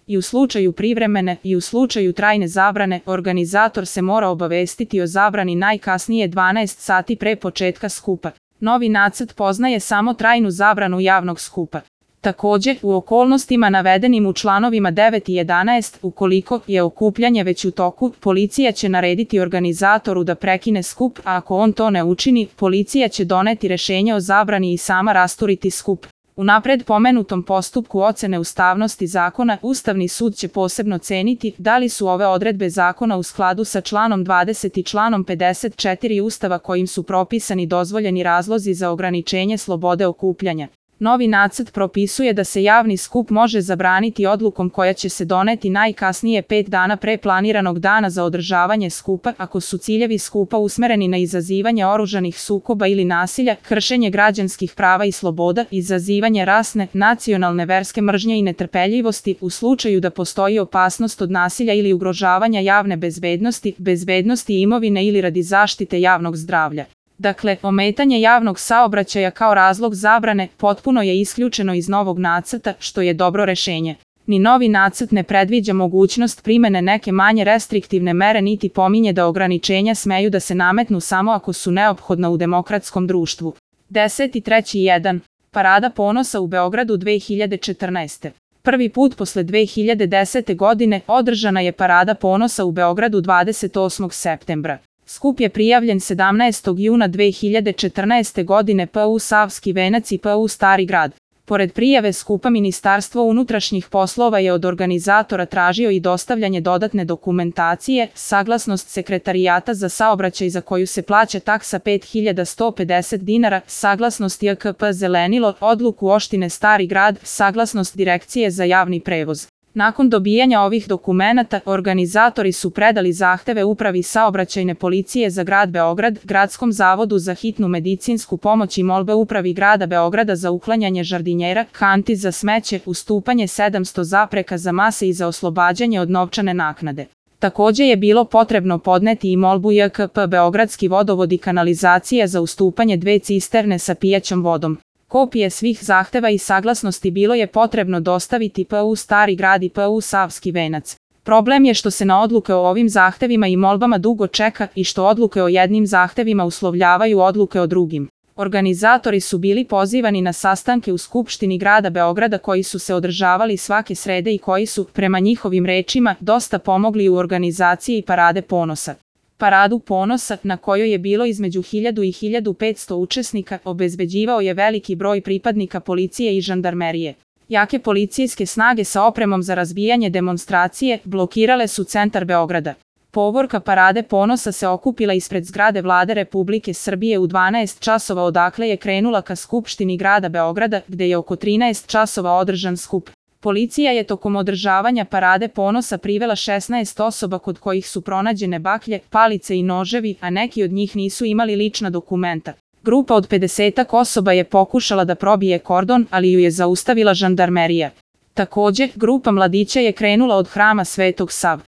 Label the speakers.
Speaker 1: I u slučaju privremene i u slučaju trajne zabrane, organizator se mora obavestiti o zabrani najkasnije 12 sati pre početka skupa. Novi nacrt poznaje samo trajnu zabranu javnog skupa. Takođe, u okolnostima navedenim u članovima 9 i 11, ukoliko je okupljanje već u toku, policija će narediti organizatoru da prekine skup, a ako on to ne učini, policija će doneti rešenje o zabrani i sama rasturiti skup. U napred pomenutom postupku ocene ustavnosti zakona, Ustavni sud će posebno ceniti da li su ove odredbe zakona u skladu sa članom 20 i članom 54 Ustava kojim su propisani dozvoljeni razlozi za ograničenje slobode okupljanja. Novi nacrt propisuje da se javni skup može zabraniti odlukom koja će se doneti najkasnije 5 dana pre planiranog dana za održavanje skupa, ako su ciljevi skupa usmereni na izazivanje oružanih sukoba ili nasilja, kršenje građanskih prava i sloboda, izazivanje rasne, nacionalne, verske mržnje i netrpeljivosti, u slučaju da postoji opasnost od nasilja ili ugrožavanja javne bezbednosti, bezbednosti imovine ili radi zaštite javnog zdravlja. Dakle, ometanje javnog saobraćaja kao razlog zabrane potpuno je isključeno iz novog nacrta, što je dobro rešenje. Ni novi nacrt ne predviđa mogućnost primene neke manje restriktivne mere niti pominje da ograničenja smeju da se nametnu samo ako su neophodna u demokratskom društvu. 10.3.1. Parada ponosa u Beogradu 2014. Prvi put posle 2010. godine održana je Parada ponosa u Beogradu 28. septembra. Skup je prijavljen 17. juna 2014. godine PU Savski venac i PU Stari grad. Pored prijave skupa, Ministarstvo unutrašnjih poslova je od organizatora tražio i dostavljanje dodatne dokumentacije, saglasnost Sekretarijata za saobraćaj za koju se plaća taksa 5.150 dinara, saglasnost JKP Zelenilo, odluku opštine Stari grad, saglasnost Direkcije za javni prevoz. Nakon dobijanja ovih dokumenata, organizatori su predali zahteve Upravi saobraćajne policije za grad Beograd, Gradskom zavodu za hitnu medicinsku pomoć i molbe Upravi grada Beograda za uklanjanje žardinjera, kanti za smeće, ustupanje 700 zapreka za mase i za oslobađanje od novčane naknade. Takođe je bilo potrebno podneti i molbu JKP Beogradski vodovod i kanalizacija za ustupanje 2 cisterne sa pijaćom vodom. Kopije svih zahteva i saglasnosti bilo je potrebno dostaviti PU Stari grad i PU Savski venac. Problem je što se na odluke o ovim zahtevima i molbama dugo čeka i što odluke o jednim zahtevima uslovljavaju odluke o drugim. Organizatori su bili pozivani na sastanke u Skupštini grada Beograda koji su se održavali svake srede i koji su, prema njihovim rečima, dosta pomogli u organizaciji Parade ponosa. Paradu ponosa, na kojoj je bilo između 1000 i 1500 učesnika, obezbeđivao je veliki broj pripadnika policije i žandarmerije. Jake policijske snage sa opremom za razbijanje demonstracije blokirale su centar Beograda. Povorka Parade ponosa se okupila ispred zgrade Vlade Republike Srbije u 12 časova, odakle je krenula ka Skupštini grada Beograda, gde je oko 13 časova održan skup. Policija je tokom održavanja Parade ponosa privela 16 osoba kod kojih su pronađene baklje, palice i noževi, a neki od njih nisu imali lična dokumenta. Grupa od 50 osoba je pokušala da probije kordon, ali ju je zaustavila žandarmerija. Takođe, grupa mladića je krenula od Hrama Svetog Save.